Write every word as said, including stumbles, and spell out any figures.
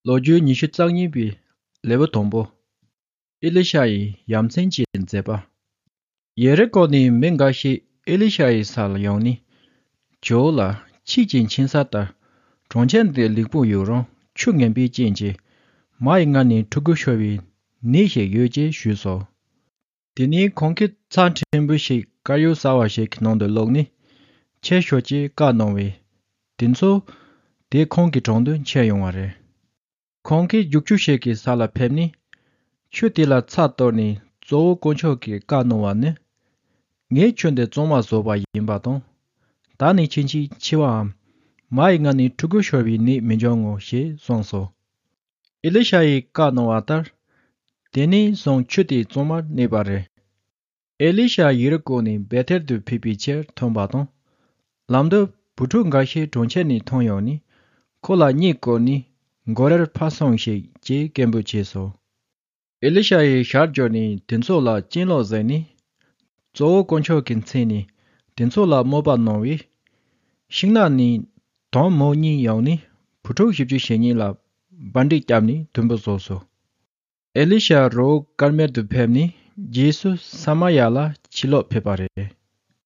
ལོ་རྒྱུས་ཉི་ཤུ་རྩ་གཉིས་པའི་ལེའུ་དང་པོ། ཨེ་ལི་ཤ་ཡིས་ཡ་མཚན་གྱི་མཛད་པ། ཡེ་རི་ཀོ་ནས་མི་འགའ་ཞིག་ཨེ་ལི་ཤ་ཡི་ས་ལ་ཡོང་ནས། ཇོ་བོ་ལགས། ཁྱེད་ཀྱི་མཆན་ས་ལྟར་གྲོང་ཁྱེར་འདི་ལེགས་པོ་ཡོད་རུང་ཆུ་ངན་པའི་རྐྱེན་གྱིས་མ་ཡི་མངལ་ནས་ཕྲུ་གུ་ཤོར་བའི་ནད་ཞིག་ཡོད་ཅེས་ཞུས་སོ། དེ་ནས་ཁོང་གིས་ཚྭ་ཕྲན་བུ་ཞིག་དཀར་ཡོལ་གསར་བ་ཞིག་གི་ནང་དུ་བླུགས་ནས་ཁྱེར་ཤོག་ཅེས་བཀའ་གནང་བས། དེ་ཚོ་དེ་ཁོང་གི་དྲུང་དུ་ཁྱེར་ཡོང་བ་རེད། ཁོང་གིས་རྒྱུག་ཆུ་ཞིག་གི་ས་ལ་ཕེབས་ནས། ཆུ་དེ་ལ་ཚྭ་གཏོར་ནས་གཙོ་བོ་དཀོན་མཆོག་གིས་བཀའ་གནང་བ་ནི། ངས་ཆུ་འདི་གཙང་མ་བཟོས་པ་ཡིན་པ་དང་། ད་ནས་ཕྱིན་ཆད་འཆི་བའམ། མ་ཡི་མངལ་ནས་ཕྲུ་གུ་ཤོར་བའི་ནད་མི་འབྱུང་ངོ་ཞེས་གསུངས་སོ། ཨེ་ལི་ཤ་ཡིས་བཀའ་གནང་བ་ལྟར། དེ་ནས་བཟུང་ཆུ་དེ་གཙང་མར་གནས་པ་རེད། ཨེ་ལི་ཤ་ཡེ་རི་ཀོ་ནས་བེ་ཐེལ་དུ་ཕེབས་པའི་ཕྱིར་ཐོན་པ་དང་། ལམ་དུ་བུ་ཕྲུག་འགའ་ཤས་གྲོང་ཁྱེར་ནས་ཐོན་ཡོང་ནས། ཁོ་ལ་གཉིད་བཀོལ་ནས་མགོ་རིལ་ཕར་སོང་ཞིག་ཅེས་སྐད་འབོད་བྱས་སོ། ཨེ་ལི་ཤ་ཡིས་ཞལ་བསྒྱུར་ནས་དེ་ཚོ་ལ་གྱེན་ལོག་གཟིགས་ནས། གཙོ་བོ་དཀོན་མཆོག་གི་མཚན་ནས་དེ་ཚོ་ལ་དམོད་པ་གནང་བས། ཤིང་ནགས་ནས་དོམ་མོ་གཉིས་ཡོང་ནས་བུ་ཕྲུག་བཞི་བཅུ་ཞེ་གཉིས་ལ་འབར་མདེལ་བརྒྱབ་ནས་དུམ་བུ་བཟོས་སོ། ཨེ་ལི་ཤ་རི་བོ་ཀར་མེལ་དུ་ཕེབས་ནས་རྗེས་སུ་ས་མ་ཡ་ལ་ཕྱིར་ལོག་ཕེབས་པ་རེད།